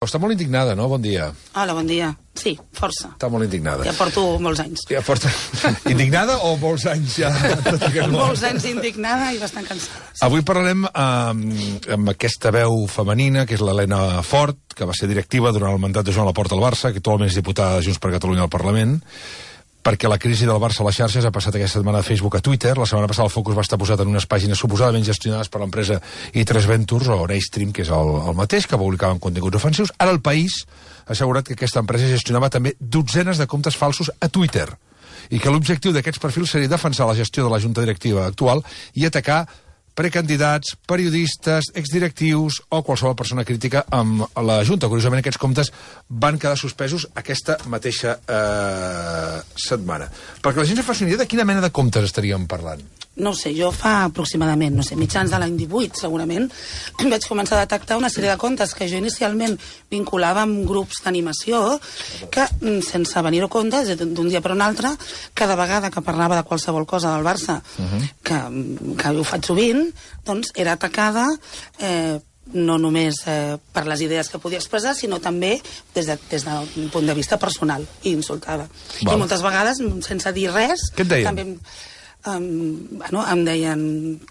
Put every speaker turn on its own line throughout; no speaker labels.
Està molt indignada, no? Bon dia.
Hola, bon dia. Sí, força.
Està molt indignada.
Ja porto molts anys.
Ja porta... Indignada o molts anys ja?
Molts anys indignada i bastant cansada. Sí.
Avui parlarem amb aquesta veu femenina, que és l'Helena Fort, que va ser directiva durant el mandat de Joan Laporta al Barça, que actualment és diputada de Junts per Catalunya al Parlament, perquè la crisi del Barça a les xarxes ha passat aquesta setmana de Facebook a Twitter. La setmana passada el focus va estar posat en unes pàgines suposadament gestionades per l'empresa i3 Ventures, o Neystream, que és el mateix, que publicaven continguts ofensius. Ara el País ha assegurat que aquesta empresa gestionava també dotzenes de comptes falsos a Twitter i que l'objectiu d'aquests perfils seria defensar la gestió de la junta directiva actual i atacar precandidats, periodistes, exdirectius o qualsevol persona crítica amb la Junta. Curiosament, aquests comptes van quedar suspesos aquesta mateixa setmana. Perquè la gent se faci una idea de quina mena de comptes estaríem parlant.
No ho sé, jo fa aproximadament, mitjans de l'any 18, segurament, vaig començar a detectar una sèrie de comptes que jo inicialment vinculava amb grups d'animació que, sense venir-ho a compte, d'un dia per un altre, cada vegada que parlava de qualsevol cosa del Barça, que ho faig sovint, doncs era atacada no només per les idees que podia expressar, sinó també des d'un punt de vista personal, i insultada. I moltes vegades, sense dir res...
Què et deien?
També, em deien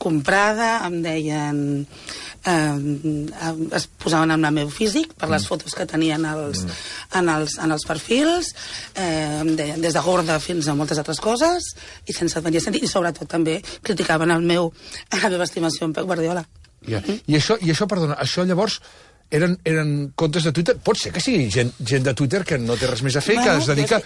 comprada, em deien... es posaven en el meu físic per les fotos que tenien en els perfils, em deien des de gorda fins a moltes altres coses, i sense tenir sentit, i sobretot també criticaven la meva estimació en Pep Guardiola.
I això, perdona, això llavors eren comptes de Twitter? Pot ser que sigui gent de Twitter que no té res més a fer, que es dedica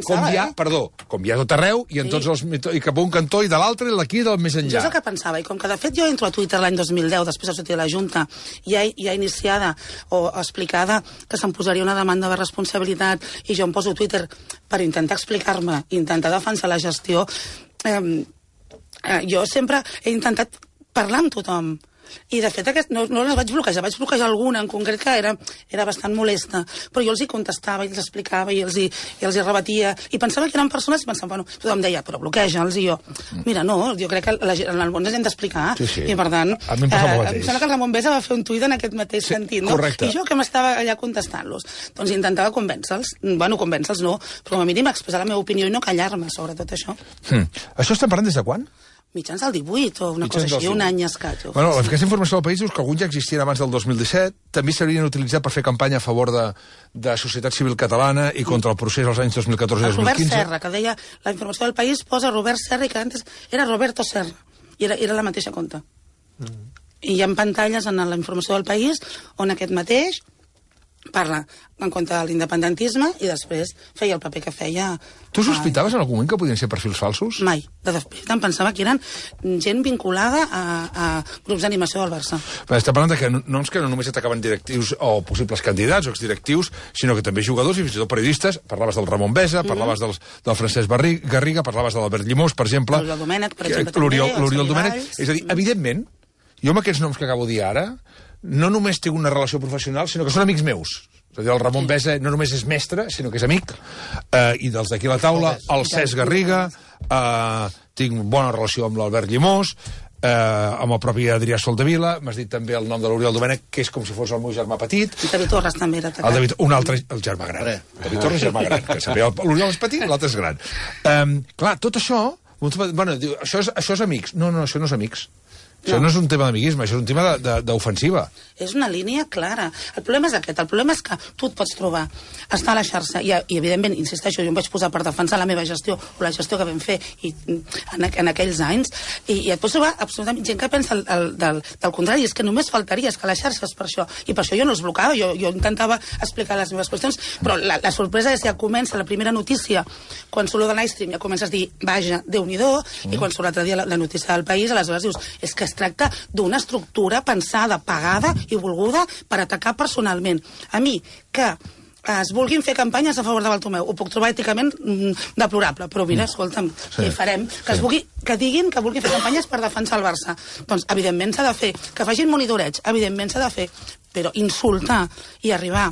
com hi ha tot arreu, i en tots els, i cap a un cantó i de l'altre, i d'aquí del més enllà.
Jo és el que pensava, i com que de fet jo entro a Twitter l'any 2010, després de sortir de la Junta, ja iniciada o explicada que se'm posaria una demanda de responsabilitat, i jo em poso a Twitter per intentar explicar-me, intentar defensar la gestió, jo sempre he intentat parlar amb tothom. I de fet no les vaig bloquejar alguna en concret que era bastant molesta, però jo els hi contestava i els explicava i els hi rebatia, i pensava que eren persones, i pensava, bueno, tothom deia, però bloqueja'ls, i jo, mira, no, jo crec que en el món hem d'explicar, i per tant, em sembla que el Ramon Besa va fer un tuit en aquest mateix sentit, no? I jo que m'estava allà contestant-los, doncs intentava convèncer-los, convèncer-los no, però com a mínim expressar la meva opinió i no callar-me sobre tot això.
Això estem parlant des de quan?
Mitjans del 18 o una cosa així, un any escaig.
Bueno, aquesta informació del País dius que alguns ja existien abans del 2017, també s'haurien utilitzat per fer campanya a favor de societat civil catalana i contra el procés als anys 2014 i 2015.
Robert Serra, que deia, la informació del País posa Robert Serra i que antes era Roberto Serra, i era la mateixa compte. I hi ha pantalles en la informació del País on aquest mateix parla en contra de l'independentisme i després feia el paper que feia...
Tu sospitaves en algun moment que podien ser perfils falsos?
Mai. De fet, em pensava que eren gent vinculada a grups d'animació del Barça.
Està parlant que no només atacaven directius o possibles candidats o exdirectius, sinó que també jugadors i fins i tot periodistes. Parlaves del Ramon Besa, parlaves del Francesc Garriga, parlaves de l'Albert Llimós, per exemple.
L'Oriol Domènech, per exemple,
l'Oriol Domènech. És a dir, evidentment, jo amb aquests noms que acabo de dir ara, no només tinc una relació professional, sinó que són amics meus. És a dir, el Ramon Besa no només és mestre, sinó que és amic, i dels d'aquí a la taula, el Cesc Garriga, tinc bona relació amb l'Albert Llimós, amb el propi Adrià Soldevila, m'has dit també el nom de l'Oriol Domènech, que és com si fos el meu germà petit.
I David Torres també era atacat.
Un altre, el germà gran. David Torres, germà gran, que sabia, l'Oriol és petit, l'altre és gran. Clar, tot això, bueno, això és amics. No, això no és amics. Això no és un tema d'amiguisme, això és un tema d'ofensiva.
És una línia clara. El problema és aquest. El problema és que tu et pots trobar, estar a la xarxa, i evidentment, insisteixo, jo em vaig posar per defensar la meva gestió, o la gestió que vam fer en aquells anys, i et pots trobar absolutament gent que pensa del contrari. És que només faltaria, és que les xarxes per això, i per això jo no els blocava, jo intentava explicar les meves qüestions, però la sorpresa és que ja comença la primera notícia, quan surt de Neystream, ja comences a dir, vaja, Déu-n'hi-do, i quan surt l'altre dia la notícia del País, aleshores dius, és que es tracta d'una estructura pensada, pagada i volguda per atacar personalment. A mi, que es vulguin fer campanyes a favor de Bartomeu, ho puc trobar èticament deplorable, però mira, escolta'm, què farem? Que diguin que vulguin fer campanyes per defensar el Barça. Doncs, evidentment, s'ha de fer. Que facin monitoreig, evidentment s'ha de fer. Però insultar i arribar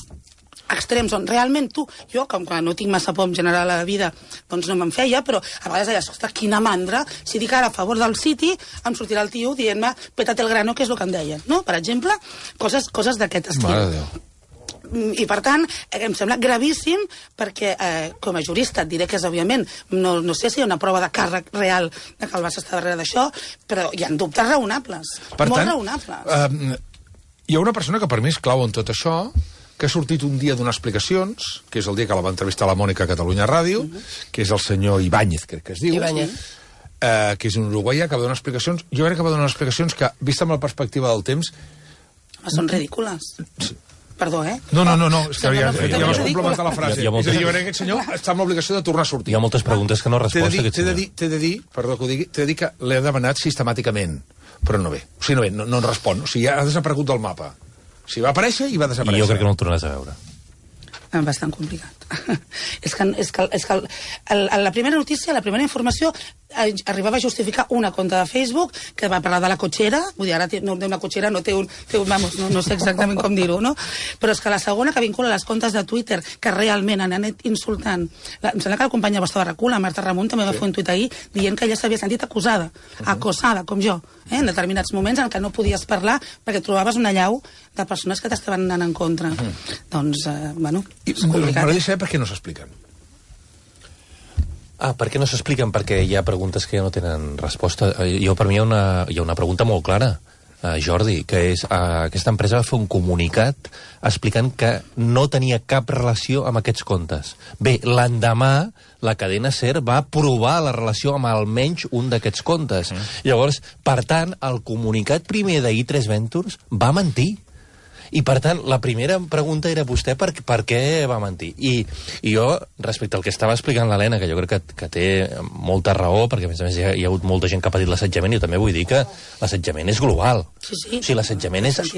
extrems on realment jo, com que no tinc massa por en general a la vida, doncs no me'n feia, però a vegades deia, ostres, quina mandra, si dic ara a favor del City, em sortirà el tio dient-me, pétate el grano, que és el que em deien, no? Per exemple, coses d'aquest estil.
Mare de Déu.
I, per tant, em sembla gravíssim perquè, com a jurista, et diré que és, òbviament, no sé si hi ha una prova de càrrec real de que el Barça està darrere d'això, però hi ha dubtes raonables, molt raonables.
Hi ha una persona que per mi és clau en tot això, que ha sortit un dia donar explicacions, que és el dia que la va entrevistar la Mònica a Catalunya Ràdio, que és el senyor Ibáñez, crec que es diu, que és un uruguaià que va donar explicacions. Jo crec que va donar explicacions que, vista amb la perspectiva del temps...
Són ridícules. Sí. Perdó,
No, és que ja vas complementar la frase. És a dir, jo crec que aquest senyor està amb l'obligació de tornar a sortir.
Hi ha moltes preguntes que no ha respost aquest
senyor. T'he de dir, perdó que ho digui, t'he de dir que l'he demanat sistemàticament, però no ve. O sigui, no en respon. O sigui, ha desaparegut del mapa. O sigui, va aparèixer i va desaparèixer.
I jo crec que no el tornaràs a veure.
Bastant complicat. És que la primera notícia, la primera informació, arribava a justificar una compte de Facebook que va parlar de la cotxera, vull dir, ara una cotxera no té un... Vamos, no sé exactament com dir-ho, no? Però és que la segona, que vincula les comptes de Twitter, que realment han anat insultant... Em sembla que la companya vostra de RAC1, la Marta Ramon, també va fer un tuit ahir dient que ella s'havia sentit acosada, com jo, en determinats moments en què no podies parlar perquè trobaves una llau de persones que t'estaven anant en contra. Doncs, bueno, és complicat.
M'agradaria saber per què no s'expliquen.
Per què no s'expliquen? Perquè hi ha preguntes que ja no tenen resposta. Per mi hi ha una pregunta molt clara, Jordi, que és aquesta empresa va fer un comunicat explicant que no tenia cap relació amb aquests comptes. Bé, l'endemà la cadena SER va provar la relació amb almenys un d'aquests comptes. Llavors, per tant, el comunicat primer d'I3 Ventures va mentir. I, per tant, la primera pregunta era vostè per què va mentir. I jo, respecte al que estava explicant l'Helena, que jo crec que té molta raó, perquè, a més, hi ha hagut molta gent que ha patit l'assetjament, i jo també vull dir que l'assetjament és global.
Sí.
O sigui, l'assetjament és...
És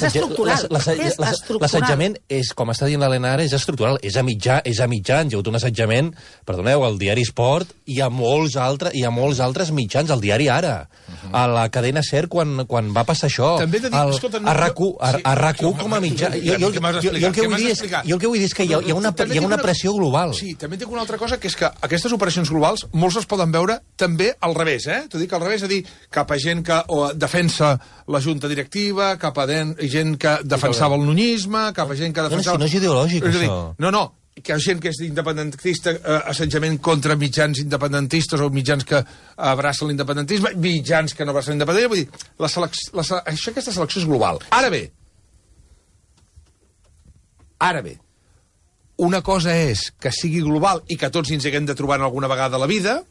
estructural.
L'assetjament és, com està dient l'Helena ara, és estructural. És a mitjans. Hi ha hagut un assetjament, perdoneu, al diari Esport, i a molts altres mitjans, al diari Ara, a la cadena SER, quan va passar això.
També t'he dit, escolta,
a RAC1 com a mitjà. Jo el que vull dir és que hi ha una pressió global.
Sí, també tinc una altra cosa, que és que aquestes operacions globals molts es poden veure també al revés, T'ho dic al revés, és a dir, cap a gent que defensa la junta directiva, cap a gent que defensava el nunyisme, cap a gent que defensava...
No és ideològic, això.
No, que hi ha gent que és independentista, assetjament contra mitjans independentistes o mitjans que abracen l'independentisme, mitjans que no abracen l'independentisme, vull dir, aquesta selecció és global. Ara bé, una cosa és que sigui global i que tots ens haguem de trobar alguna vegada a la vida,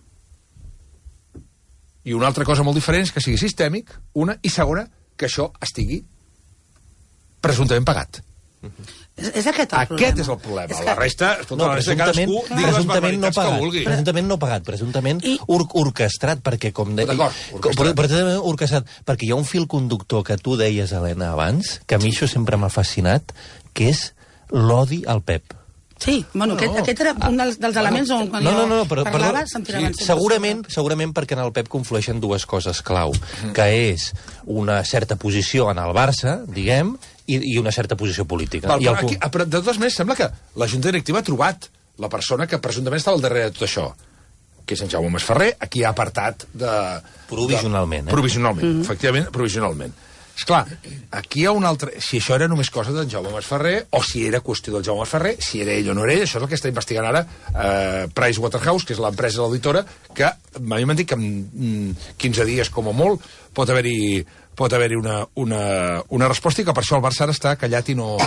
i una altra cosa molt diferent és que sigui sistèmic, una, i segona, que això estigui presumptament pagat.
És aquest el problema.
Aquest és el problema. La resta, escolta, la resta cadascú digui les barbaritats que vulgui.
Presumptament no pagat, presumptament orquestrat, perquè com deia... Orquestrat, perquè hi ha un fil conductor que tu deies, Helena, abans, que a mi això sempre m'ha fascinat, que és l'odi al Pep.
Sí, bueno, aquest era un dels elements on quan jo parlava se'm tiraven sempre.
Segurament perquè en el Pep conflueixen dues coses clau, que és una certa posició en el Barça, diguem, i una certa posició política.
Però de totes maneres sembla que la Junta Directiva ha trobat la persona que presumptament estava al darrere de tot això, que és en Jaume Masferrer, a qui ha apartat de...
Provisionalment.
Provisionalment, efectivament, provisionalment. Esclar, aquí hi ha un altre... Si això era només cosa d'en Jaume Masferrer, o si era qüestió del Jaume Masferrer, si era ell o no era ell, això és el que està investigant ara Pricewaterhouse, que és l'empresa de l'auditora, que m'han dit que en 15 dies, com a molt, pot haver-hi una resposta, i que per això el Barça ara està callat i no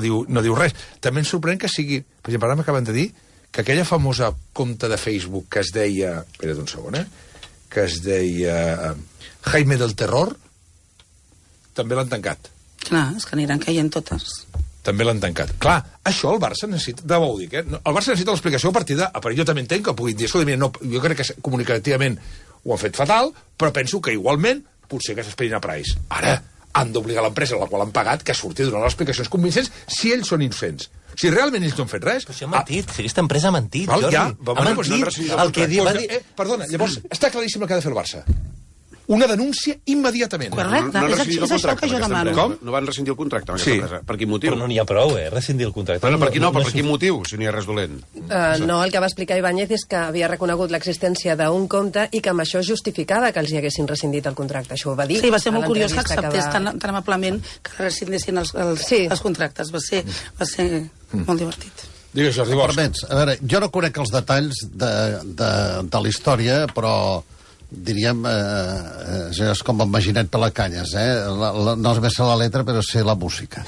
diu res. També ens sorprèn que sigui... Per exemple, ara m'acaben de dir que aquella famosa compte de Facebook que es deia... Espera't un segon, que es deia Jaime del Terror, també l'han tancat.
Clar, és que aniran caient totes.
També l'han tancat. Clar, això el Barça necessita... De bo ho dic, El Barça necessita l'explicació a partir de... Però jo també entenc que puguin dir... Escolta, mira, no, jo crec que comunicativament ho han fet fatal, però penso que igualment potser que s'esperin a Price. Ara han d'obligar l'empresa a la qual han pagat que surti a donar les explicacions convincents si ells són innocents. Si realment ells no han fet res...
Però si ha mentit, si aquesta empresa ha mentit, Jordi.
Ha mentit. Perdona, llavors està claríssim el que ha de fer el Barça. una denúncia immediatament.
Correcte, és això que jo demano.
Com? No van rescindir el contracte amb aquesta empresa. Per quin motiu?
Però no n'hi ha prou, rescindir el contracte.
Però per quin motiu, si no hi ha res dolent?
No, el que va explicar Ibáñez és que havia reconegut l'existència d'un compte i que amb això justificava que els hi haguessin rescindit el contracte. Això ho va dir.
Sí, va ser molt curiós que acceptés tan amablement que rescindessin els contractes. Va ser molt divertit.
Digues, Jordi Bosch.
Permets, a veure, jo no conec els detalls de la història, però diríem, és com el Maginet Pelacanyes, no és més la letra, però sé la música.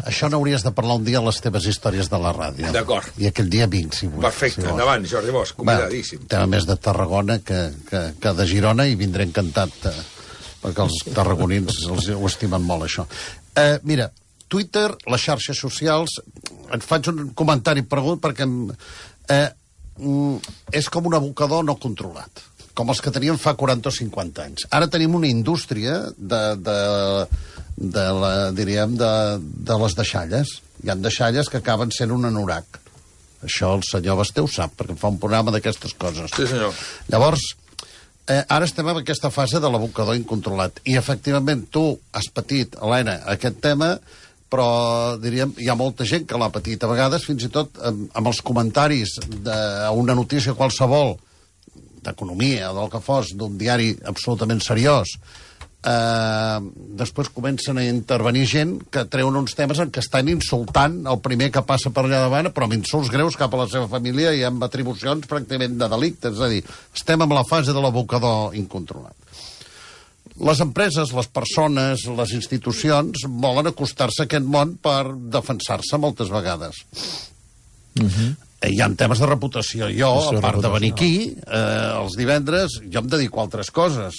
Això n'hauries de parlar un dia a les teves històries de la ràdio.
D'acord.
I aquell dia vinc, si vols.
Perfecte, endavant, Jordi Bosch, convidadíssim.
Tema més de Tarragona que de Girona, i vindré encantat, perquè els tarragonins ho estimen molt, això. Mira, Twitter, les xarxes socials, et faig un comentari pregut perquè és com un abocador no controlat, com els que teníem fa 40 o 50 anys. Ara tenim una indústria de les deixalles. Hi ha deixalles que acaben sent un anorac. Això el senyor Basté ho sap, perquè fa un programa d'aquestes coses.
Sí, senyor.
Llavors, ara estem en aquesta fase de l'abocador incontrolat. I, efectivament, tu has patit, Helena, aquest tema, però, diríem, hi ha molta gent que l'ha patit. A vegades, fins i tot, amb els comentaris d'una notícia qualsevol, d'economia o del que fos, d'un diari absolutament seriós, després comencen a intervenir gent que treuen uns temes en què estan insultant el primer que passa per allà davant, però amb insults greus cap a la seva família i amb atribucions pràcticament de delicte. És a dir, estem en la fase de l'abocador incontrolat. Les empreses, les persones, les institucions volen acostar-se a aquest món per defensar-se moltes vegades. Hi ha temes de reputació. Jo, a part de venir aquí, els divendres, jo em dedico a altres coses.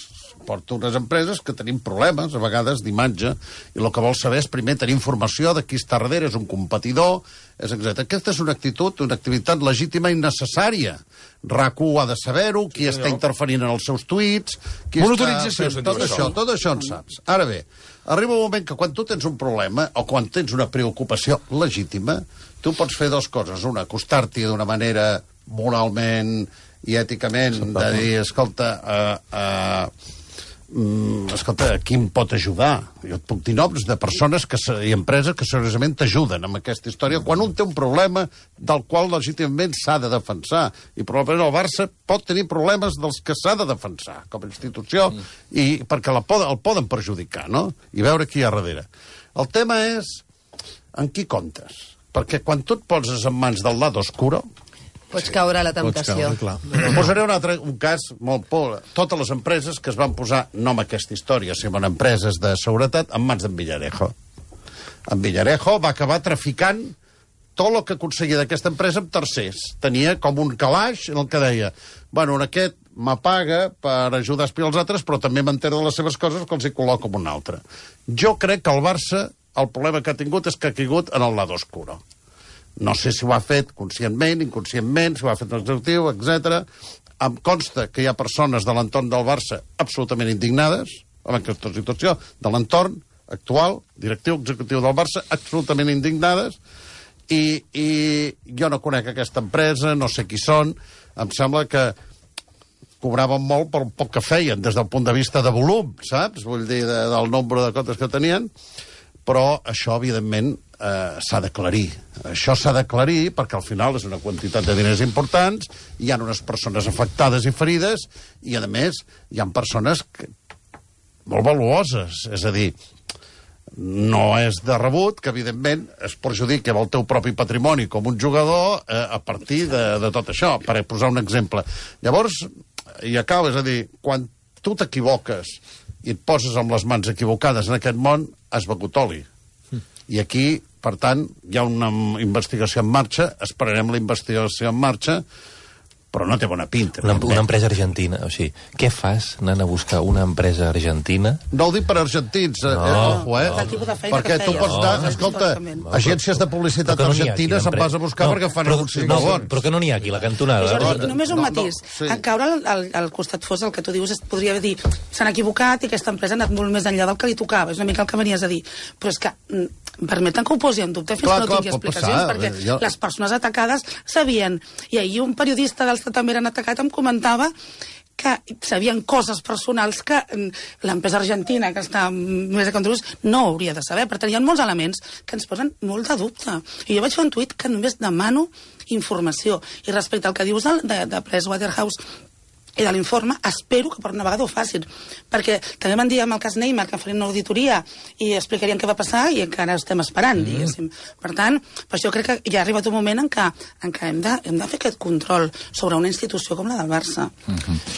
Porto unes empreses que tenim problemes, a vegades, d'imatge, i el que vol saber és primer tenir informació de qui està darrere, és un competidor, etc. Aquesta és una actitud, una activitat legítima i necessària. RAC1 ha de saber-ho, qui està interferint en els seus tuits...
Monitorització,
tot això en saps. Ara bé, arriba un moment que quan tu tens un problema o quan tens una preocupació legítima, tu pots fer dues coses. Una, acostar-t'hi d'una manera moralment i èticament, de dir, escolta, qui em pot ajudar? Jo et puc dir noms de persones i empreses que seriosament t'ajuden amb aquesta història quan un té un problema del qual legítimament s'ha de defensar. I probablement el Barça pot tenir problemes dels que s'ha de defensar com a institució i perquè el poden perjudicar, no? I veure qui hi ha darrere. El tema és en qui comptes. Perquè quan tu et poses en mans del lado oscuro...
Pots caure a la temptació.
Posaré un cas molt por. Totes les empreses que es van posar, no amb aquesta història, sinó en empreses de seguretat, en mans d'en Villarejo. En Villarejo va acabar traficant tot el que aconseguia d'aquesta empresa amb tercers. Tenia com un calaix en el que deia, bueno, aquest m'apaga per ajudar a espiar els altres, però també m'entera de les seves coses que els hi col·loco amb un altre. Jo crec que el Barça, el problema que ha tingut és que ha caigut en el lado oscuro. No sé si ho ha fet conscientment, inconscientment, si ho ha fet l'executiu, etc. Em consta que hi ha persones de l'entorn del Barça absolutament indignades amb aquesta situació, de l'entorn actual, directiu, executiu del Barça, absolutament indignades, i jo no conec aquesta empresa, no sé qui són, em sembla que cobraven molt per un poc que feien, des del punt de vista de volum, saps? Vull dir, del nombre de comptes que tenien, però això, evidentment, s'ha d'aclarir. Això s'ha d'aclarir perquè al final és una quantitat de diners importants, hi ha unes persones afectades i ferides, i a més hi ha persones molt valuoses. És a dir, no és de rebut que, evidentment, es perjudiqui el teu propi patrimoni com un jugador a partir de tot això, per posar un exemple. Llavors, i acaba, és a dir, quan tu t'equivoques i et poses amb les mans equivocades en aquest món, has begut oli. I aquí, per tant, hi ha una investigació en marxa, esperarem la investigació en marxa, però no té bona pinta.
Una empresa argentina, o sigui, què fas anant a buscar una empresa argentina?
No ho dic per argentins, perquè tu pots anar, escolta, agències de publicitat argentines se'n vas a buscar perquè fan anuncis molt bons.
Però que no n'hi ha aquí, la cantonada.
Només un matís. En caure al costat fos el que tu dius, podria dir, s'han equivocat i aquesta empresa ha anat molt més enllà del que li tocava, és una mica el que venies a dir. Però és que permeten que ho posi en dubte fins que no tingui explicacions, perquè les persones atacades sabien. I ahir un periodista dels que també eren atacats em comentava que sabien coses personals que l'empresa argentina, que està més a control, no hauria de saber. Per tant, hi ha molts elements que ens posen molt de dubte. I jo vaig fer un tuit que només demano informació. I respecte al que dius de Pricewaterhouse i de l'informe, espero que per una vegada ho facin, perquè també van dir amb el cas Neymar que farien una auditoria i explicarien què va passar i encara estem esperant, diguéssim. Per tant, per això crec que ja ha arribat un moment en què hem de fer aquest control sobre una institució com la del Barça.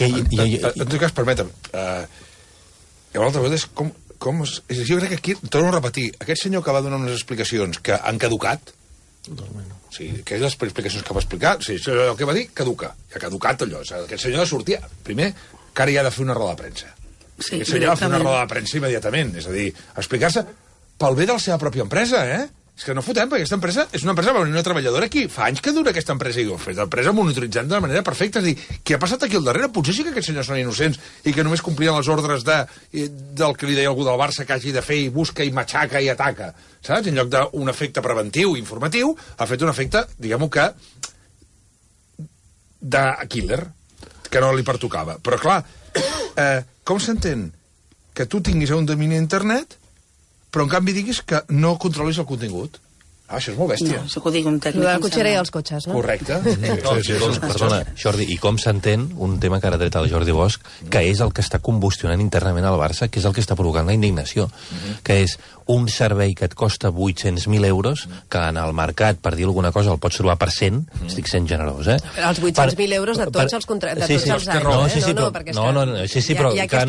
En tot cas, permetem, i una altra cosa és jo crec que aquí, torno a repetir, aquest senyor que va donar unes explicacions que han caducat, o sigui, aquelles explicacions que va explicar, o sigui, el que va dir, caduca. Ja ha caducat allò. O sigui, aquest senyor sortia... Primer, que ara ja ha de fer una roda de premsa. Sí, aquest senyor ha de fer una roda de premsa immediatament. És a dir, explicar-se pel bé de la seva pròpia empresa, És que no fotem, perquè aquesta empresa és una empresa, una treballadora aquí. Fa anys que dura aquesta empresa i ho ha fet l'empresa monitoritzant de manera perfecta. És a dir, què ha passat aquí al darrere? Potser sí que aquests senyors són innocents i que només complien les ordres del que li deia algú del Barça que hagi de fer i busca i matxaca i ataca. Saps? En lloc d'un efecte preventiu i informatiu, ha fet un efecte, diguem-ho que, de killer, que no li pertocava. Però, clar, com s'entén que tu tinguis un domini d'internet però en canvi diguis que no controlis el contingut? Això és molt bèstia.
No, això que ho digui un tècnic.
De la cotxera i els cotxes, no?
Correcte.
Perdona, Jordi, i com s'entén un tema que ara ha tret el Jordi Bosch, que és el que està combustionant internament al Barça, que és el que està provocant la indignació, que és un servei que et costa 800.000 euros, que en el mercat, per dir alguna cosa, el pots trobar per 100, estic sent generós,
Els 800.000 euros de tots els contractes, de tots els anys,
Sí, però que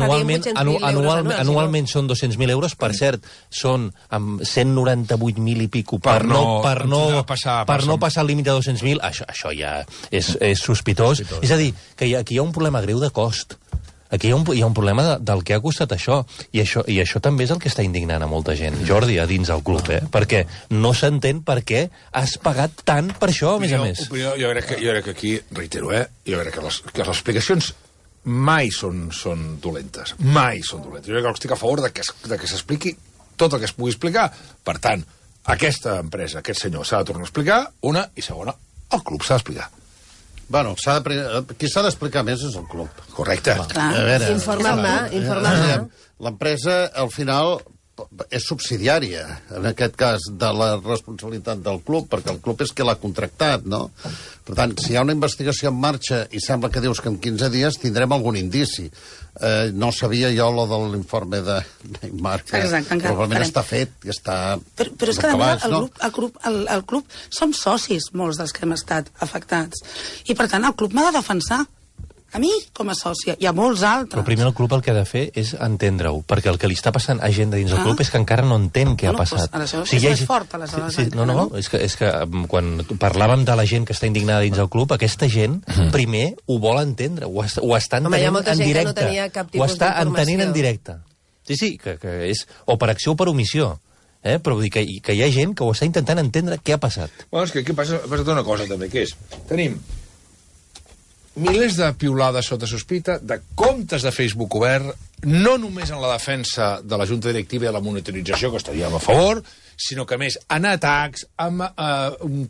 anualment són 200.000 euros, per cert, són amb 198.000 i pico per no passar el límit de 200.000, això ja és sospitós. És a dir, que aquí hi ha un problema greu de cost. Aquí hi ha un problema del que ha costat això. I això també és el que està indignant a molta gent, Jordi, a dins del club, perquè no s'entén per què has pagat tant per això, a més a més.
Jo crec que aquí, reitero, jo crec que les explicacions mai són dolentes. Mai són dolentes. Jo crec que estic a favor de que s'expliqui tot el que es pugui explicar. Per tant, aquesta empresa, aquest senyor, s'ha de tornar a explicar, una, i segona, el club s'ha d'explicar.
Bueno, qui s'ha d'explicar més és el club.
Correcte.
Informar-ne.
L'empresa, al final, és subsidiària, en aquest cas, de la responsabilitat del club, perquè el club és qui l'ha contractat, no? Per tant, si hi ha una investigació en marxa i sembla que dius que en 15 dies tindrem algun indici. No sabia jo lo de l'informe de Neymar, que probablement està fet i està...
Però és que, el club som socis, molts dels que hem estat afectats. I, per tant, el club m'ha de defensar. A mi, com a sòcia, hi ha molts altres.
Però primer el club el que ha de fer és entendre-ho, perquè el que li està passant a gent de dins del club és que encara no entén què ha passat.
Aleshores, és més fort, aleshores.
No, és que quan parlàvem de la gent que està indignada dins del club, aquesta gent primer ho vol entendre, ho està entenent en directe. Ho està entenent en directe. Sí, que és o per acció o per omissió. Però vull dir que hi ha gent que ho està intentant entendre què ha passat.
Bueno, és que aquí passa una cosa també, que és... Tenim milers de piulades sota sospita, de comptes de Facebook obert, no només en la defensa de la Junta Directiva i de la monitorització, que estaríem a favor, sinó que, a més, en atacs, amb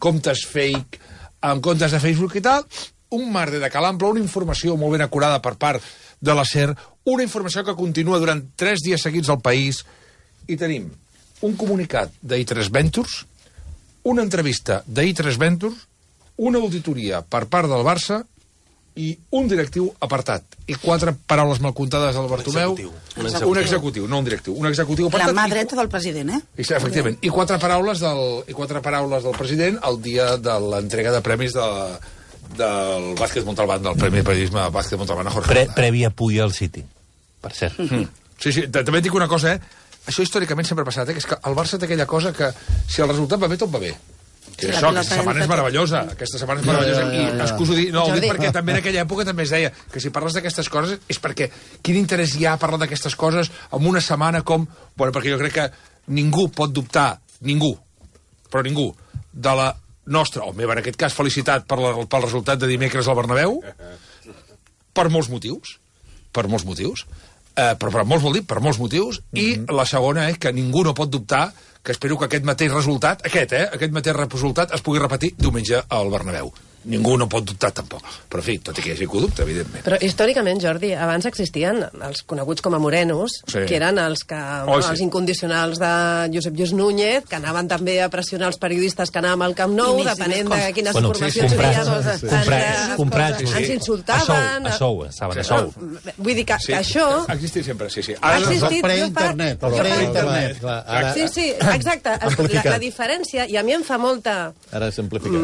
comptes fake, amb comptes de Facebook i tal, un merder de calample, una informació molt ben acurada per part de la SER, una informació que continua durant 3 dies seguits al país, i tenim un comunicat d'I3 Ventures, una entrevista d'I3 Ventures, una auditoria per part del Barça i un directiu apartat. I 4 paraules mal comptades del Bartomeu. Un executiu, no un directiu. Un executiu apartat.
La mà dreta del president,
Efectivament. I 4 paraules del president el dia de l'entrega de premis del Bàsquet Montalbán, del Premi de Periodisme de Bàsquet Montalbán a Jorge.
Prèvia puja al City, per cert.
Sí, també et dic una cosa, Això històricament sempre ha passat, que és que el Barça té aquella cosa que si el resultat va bé, tot va bé. Sí, això, aquesta setmana és meravellosa. Aquesta setmana és meravellosa. I excuso dir... No, ho dic perquè també en aquella època també es deia que si parles d'aquestes coses és perquè quin interès hi ha a parlar d'aquestes coses en una setmana com... Bueno, perquè jo crec que ningú pot dubtar, ningú, de la nostra, o meva en aquest cas, felicitat pel resultat de dimecres al Bernabéu, per molts motius. Però per molts vol dir, per molts motius, i la segona és que ningú no pot dubtar que espero que aquest mateix resultat, aquest mateix resultat es pugui repetir diumenge al Bernabéu. ningú no pot dubtar tampoc. Però, en fi, tot i que hi hagi conducte, evidentment.
Però històricament, Jordi, abans existien els coneguts com a morenos, que eren els els incondicionals de Josep Lluís Núñez, que anaven també a pressionar els periodistes que anàvem al Camp Nou, depenent de quines informacions
comprats,
ens insultaven.
A sou, estaven a sou.
Vull dir que això...
Ha existit sempre, sí.
Ha existit
pre-internet.
Sí, exacte. La diferència, i a mi em fa molta...
Ara simplificat.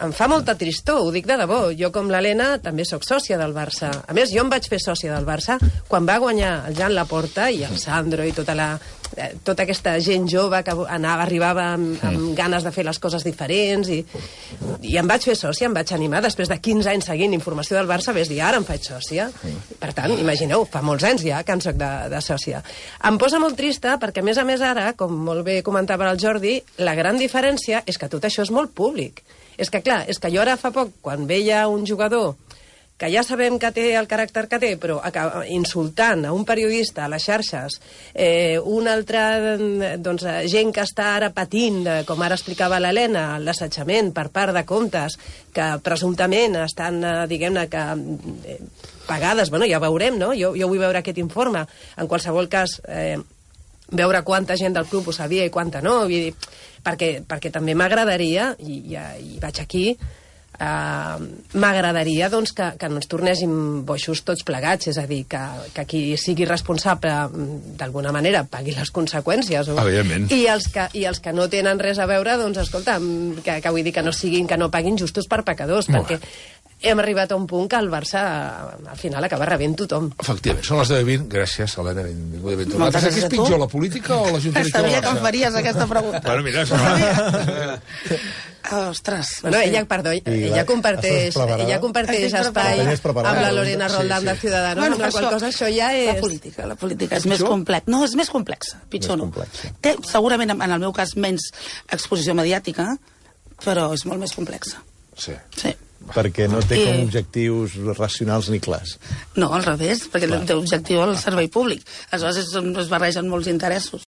Em fa molta tristor, ho dic de debò. Jo, com l'Helena, també sóc sòcia del Barça. A més, jo em vaig fer sòcia del Barça quan va guanyar el Jan Laporta i el Sandro i tota aquesta gent jove que arribava amb ganes de fer les coses diferents i em vaig fer sòcia, em vaig animar després de 15 anys seguint informació del Barça, ves dir, ara em faig sòcia. Per tant, imagineu, fa molts anys ja que en soc de sòcia. Em posa molt trista perquè, a més ara, com molt bé comentava el Jordi, la gran diferència és que tot això és molt públic. És que, clar, jo ara fa poc, quan veia un jugador que ja sabem que té el caràcter que té, però insultant a un periodista a les xarxes, una altra gent que està ara patint, com ara explicava l'Helena, l'assetjament per part de comptes que presumptament estan, diguem-ne, que pagades, bueno, ja veurem, no? Jo vull veure aquest informe. En qualsevol cas, veure quanta gent del club ho sabia i quanta no, perquè també m'agradaria, i vaig aquí, m'agradaria doncs, que no ens tornéssim boixos tots plegats, és a dir, que qui sigui responsable d'alguna manera pagui les conseqüències. I els que no tenen res a veure, doncs escolta, que vull dir que no paguin justos per pecadors, perquè hem arribat a un punt que el Barça al final acaba rebent tothom.
Efectivament, són les 10:20. Gràcies, Helena, benvinguda i ben tornada. Què és pitjor, la política o la Junta Directiva?
Sabia que em faries aquesta pregunta.
Bueno, mira,
ostres.
Bueno, ella comparteix espai amb la Lorena Roldán de Ciudadanos, amb la qual cosa això ja és...
La política és més complexa. No, és més complexa, pitjor no. Té, segurament, en el meu cas, menys exposició mediàtica, però és molt més complexa.
Sí.
Perquè no té com objectius racionals ni clars.
No, al revés, perquè té objectiu el servei públic. Aleshores es barregen molts interessos.